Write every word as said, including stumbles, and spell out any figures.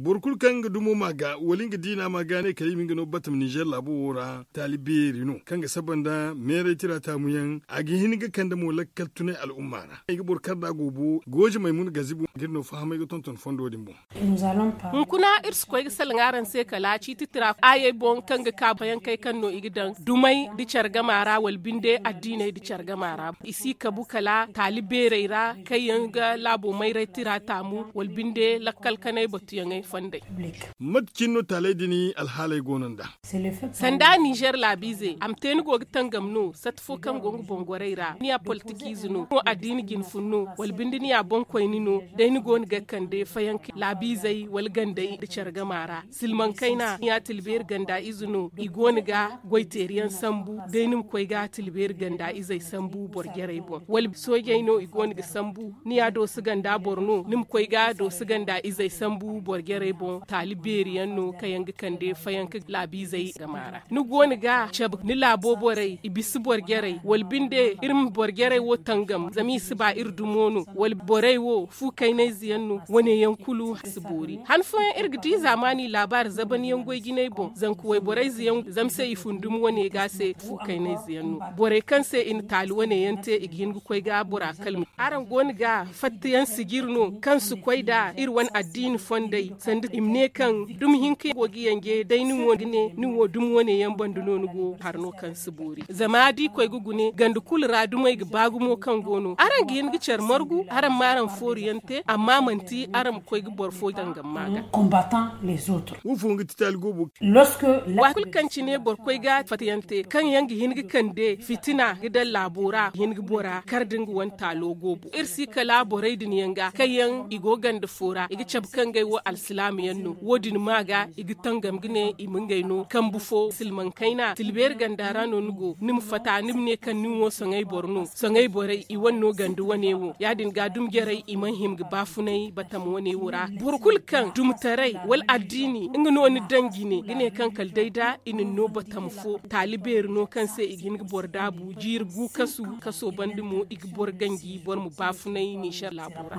Boro kulu kaŋ nga dumo ma ga wala nga diina ma ga ne kala i ma nga no batama ninzeer laabo wo ra taali beeri no kaŋ ga saba nda meeray tira taamu yaŋ. A ga hin ga kande mo lakkal tunay al'umma ra i ga boro kar da a go bo gooze maymuna gazibu ga iri no fahamay ga tonton fondo din boŋ. Hunkuna iri si koy ga salaŋ araŋ se kala ciiti tira ayey boŋ kaŋ ga ka bayankey kaŋ no i ga daŋ dumey nda care gama ra wala binde addiiney nda care gama ra i si kabu kala taali beerey ra kaŋ yaŋ ga laabo mayray tira taamu wala binde lakkal kanay batuyaŋey fondey. Mate cine no taaley din alhaaley go no nd'a? Sanda ninzeer laabiize a ma te ni go ga tangam no sata fo kaŋ go nga boŋ gorey ra ni ya politikiize no ni wo addiina jinfun no wala binde ni ya boŋkoyni no day ni go no ga kande fayanka laabiizey wala gandey nda care gama ra silmaŋ kayna ni ya tilbeeri ganda ize no i go no ga goyteeri yaŋ sambu day ni ma koy ga tilbeeri ganda izey sambu boro jarey boŋ wala soojey no i go no ga sambu ni ya dooso ganda boro no ni ma koy ga dooso ganda izey sambu boro jarey boŋ taali beeri yaŋ no kaŋ yaŋ ga kande fayanka laabiizey gama ra ni go no ga cabe ni laabo borey i bisa boro jarey wala binde iri ma boro jarey wo tangam zama i si ba iri dumo no wala borey wo fu kaynayze yaŋ no wane yaŋ kulu si boori han fooyaŋ iri ga di zaamaani laabaari zaban yaŋ goy jinay boŋ zanka wayborayze yaŋ zama se i fundum wane ga se fu kaynayze yaŋ no borey kaŋ se i na taali wane yaŋ te i ga hin ga koy ga bora kalmi araŋ go no ga fattayaŋ sijiri no kaŋ si koy nda iri wane addiini fondey sanda i ma ne kaŋ dumi hinka go ga yanje day ni wo ga ne ni wo dumi wane yaŋ banda no ni go hari no kaŋ si boori zama da i koy ga gune ganda kulu ra dumey ga ba gumo kaŋ go no araŋ ga hin ga care margu araŋ ma araŋ fooru yaŋ te amma manti araŋ ma koy ga boro fo dangam ma ga. Wo fo nga ti taali goobo. Waati kulu kaŋ cine boro koy ga fatayaŋ te kaŋ yaŋ ga hin ga kande fitina ga daŋ laabo ra ga hin ga bora kar da nga wane taalo goobo iri si kala borey din yaŋ ga kaŋ yaŋ i go ganda fo ra i ga cabe kaŋ ngey wo alsilaama yaŋ no wo- din ma ga i ga tangam ga ne i ma ngey no kambu fo silmaŋ kayna tilbeeri ganda ra no ni go ni ma fata ni ma ne kaŋ nin wo soŋay boro no soŋay borey i wane no ganda wane wo ya- din ga dumi jarey i mana hima ga baafunay batama wane wo ra boro kulu kaŋ dumutaray wala addiini nga no ni daŋ jine ga ne kaŋ kala day da i na ni no batama fo taali beeri no kaŋ se i ga hin ga boro daabu jiiri gu kasu kaso banda mo i ga boro ganji boro ma baafunay ninzeer laabo ra.